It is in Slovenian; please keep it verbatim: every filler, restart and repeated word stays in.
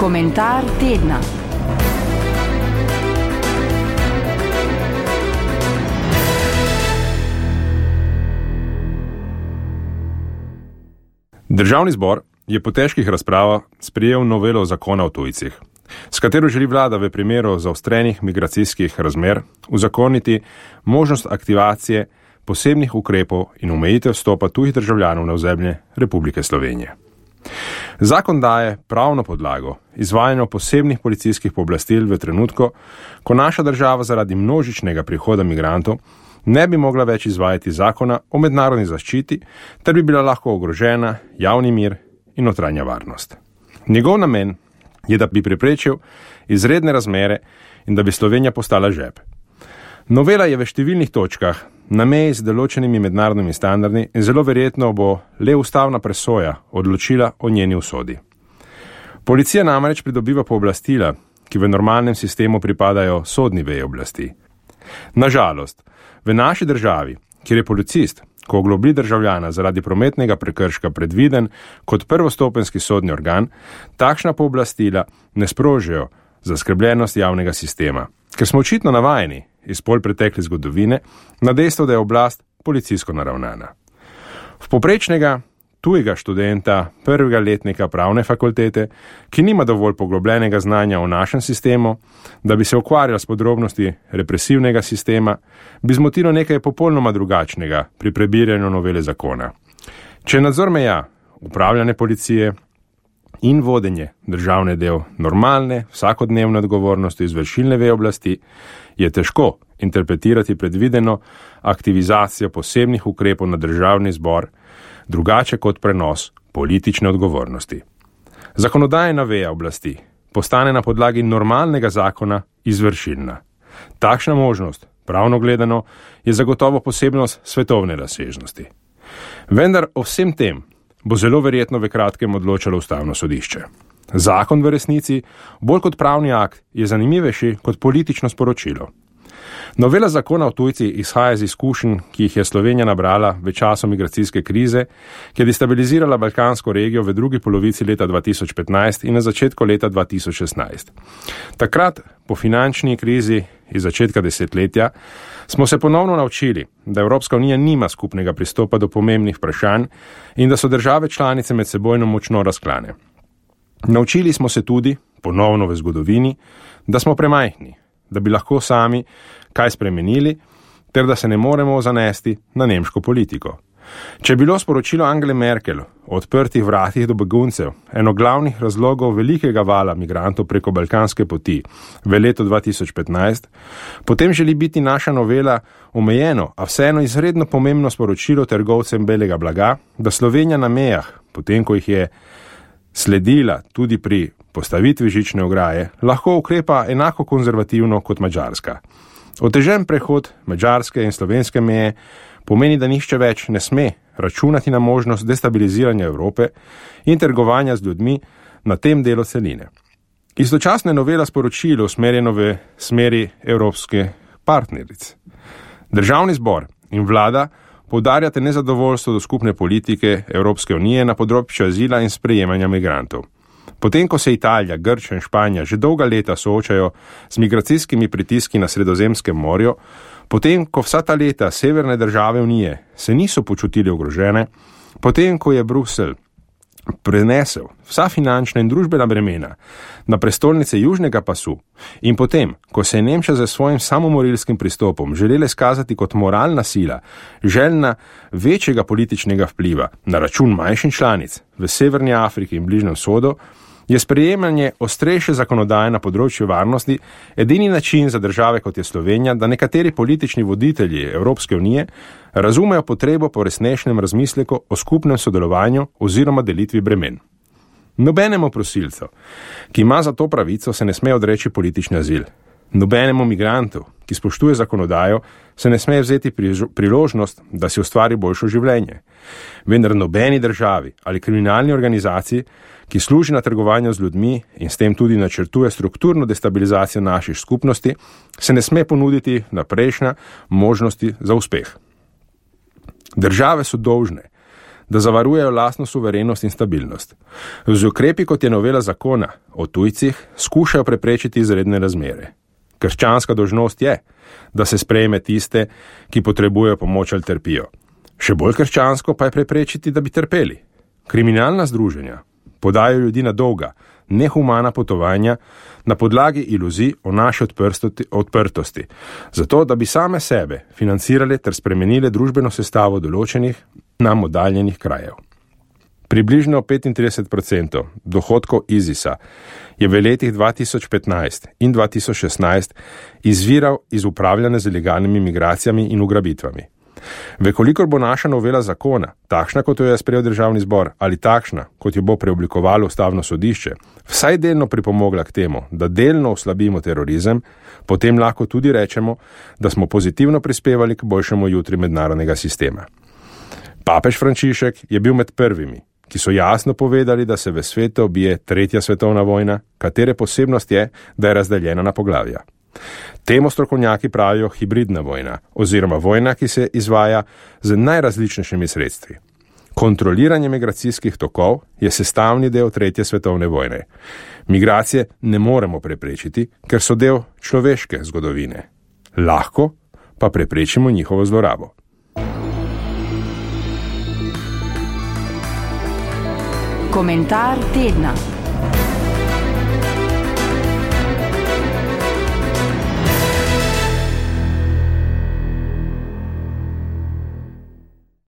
Komentar tedna. Državni zbor je po težkih razpravah sprejel novelo zakona o tujcih, s katero želi vlada v primeru zaostrenih migracijskih razmer uzakoniti možnost aktivacije posebnih ukrepov in omejitev vstopa tujih državljanov na ozemlje Republike Slovenije. Zakon daje pravno podlago izvajanju posebnih policijskih pooblastil v trenutku, ko naša država zaradi množičnega prihoda migrantov ne bi mogla več izvajati zakona o mednarodni zaščiti, ter bi bila lahko ogrožena javni mir in notranja varnost. Njegov namen je, da bi preprečil izredne razmere in da bi Slovenija postala žep. Novela je v številnih točkah na meji z določenimi mednarodnimi standardi in zelo verjetno bo le ustavna presoja odločila o njeni usodi. Policija namreč pridobiva pooblastila, ki v normalnem sistemu pripadajo sodni veji oblasti. Nažalost, v naši državi, kjer je policist, ko oglobi državljana zaradi prometnega prekrška predviden kot prvostopenjski sodni organ, takšna pooblastila ne sprožijo zaskrbljenost javnega sistema, ker smo očitno navajeni iz pol pretekle zgodovine na dejstvo, da je oblast policijsko naravnana. V povprečnega tujega študenta prvega letnika pravne fakultete, ki nima dovolj poglobljenega znanja o našem sistemu, da bi se ukvarjal s podrobnosti represivnega sistema, bi zmotilo nekaj popolnoma drugačnega pri prebiranju novele zakona. Če je nadzor meja, upravljanje policije in vodenje državne del normalne, vsakodnevne odgovornosti izvršilne veje oblasti, je težko interpretirati predvideno aktivizacijo posebnih ukrepov na državni zbor, drugače kot prenos politične odgovornosti. Zakonodajna veja oblasti postane na podlagi normalnega zakona izvršilna. Takšna možnost, pravno gledano, je zagotovo posebnost svetovne razsežnosti. Vendar o vsem tem bo zelo verjetno v kratkem odločalo ustavno sodišče. Zakon v resnici, bolj kot pravni akt, je zanimivejši kot politično sporočilo. Novela zakona o tujcih izhaja iz izkušenj, ki jih je Slovenija nabrala v času migracijske krize, ki je destabilizirala balkansko regijo v drugi polovici leta dva tisoč petnajst in na začetku leta dva tisoč šestnajst. Takrat, po finančni krizi iz začetka desetletja, smo se ponovno naučili, da Evropska unija nima skupnega pristopa do pomembnih vprašanj in da so države članice med sebojno močno razklane. Naučili smo se tudi, ponovno v zgodovini, da smo premajhni, da bi lahko sami kaj spremenili, ter da se ne moremo zanesti na nemško politiko. Če je bilo sporočilo Angele Merkel o odprtih vratih do beguncev eno glavnih razlogov velikega vala migrantov preko balkanske poti v letu dva tisoč petnajst, potem želi biti naša novela omejeno, a vseeno izredno pomembno sporočilo trgovcem belega blaga, da Slovenija na mejah, potem ko jih je sledila tudi pri postavitvi žične ograje, lahko ukrepa enako konzervativno kot Madžarska. Otežen prehod madžarske in slovenske meje pomeni, da nihče več ne sme računati na možnost destabiliziranja Evrope in trgovanja z ljudmi na tem delu celine. Istočasno je novela sporočilo usmerjeno v smeri evropske partneric. Državni zbor in vlada poudarjate nezadovoljstvo do skupne politike Evropske unije na področju azila in sprejemanja migrantov. Potem, ko se Italija, Grčija in Španija že dolga leta soočajo z migracijskimi pritiski na Sredozemskem morju, potem, ko vsa ta leta severne države Unije se niso počutili ogrožene, potem, ko je Bruselj prenesel vsa finančna in družbena bremena na prestolnice južnega pasu in potem, ko se je Nemčija za svojim samomorilskim pristopom želela izkazati kot moralna sila, željna večjega političnega vpliva na račun manjših članic v Severni Afriki in Bližnjem vzhodu, je sprejemanje ostrejše zakonodaje na področju varnosti edini način za države kot je Slovenija, da nekateri politični voditelji Evropske unije razumejo potrebo po resnejšem razmisleku o skupnem sodelovanju oziroma delitvi bremen. Nobenemu prosilcu, ki ima za to pravico, se ne sme odreči politični azil. Nobenemu migrantu, ki spoštuje zakonodajo, se ne sme vzeti priložnost, da si ustvari boljšo življenje. Vendar nobeni državi ali kriminalni organizaciji, ki služi na trgovanju z ljudmi in s tem tudi načrtuje strukturno destabilizacijo naših skupnosti, se ne sme ponuditi naprejšnja možnosti za uspeh. Države so dolžne, da zavarujejo lastno suverenost in stabilnost. Z ukrepi, kot je novela zakona o tujcih, skušajo preprečiti izredne razmere. Krščanska dolžnost je, da se sprejme tiste, ki potrebujejo pomoč ali trpijo. Še bolj krščansko pa je preprečiti, da bi trpeli. Kriminalna združenja podajo ljudi na dolga, nehumana potovanja na podlagi iluzij o naši odprtosti, zato da bi same sebe financirale ter spremenile družbeno sestavo določenih nam oddaljenih krajev. Približno petintrideset odstotkov dohodkov ISIS-a je v letih dva tisoč petnajst in dva tisoč šestnajst izviral iz upravljanja z ilegalnimi migracijami in ugrabitvami. Vekolikor bo naša novela zakona, takšna kot jo je sprejel državni zbor ali takšna, kot jo bo preoblikovalo ustavno sodišče, vsaj delno pripomogla k temu, da delno oslabimo terorizem, potem lahko tudi rečemo, da smo pozitivno prispevali k boljšemu jutri mednarodnega sistema. Papež Frančišek je bil med prvimi, ki so jasno povedali, da se v svetu obije tretja svetovna vojna, katere posebnost je, da je razdeljena na poglavja. Temu strokovnjaki pravijo hibridna vojna, oziroma vojna, ki se izvaja z najrazličnejšimi sredstvi. Kontroliranje migracijskih tokov je sestavni del tretje svetovne vojne. Migracije ne moremo preprečiti, ker so del človeške zgodovine. Lahko pa preprečimo njihovo zlorabo. Komentar tedna.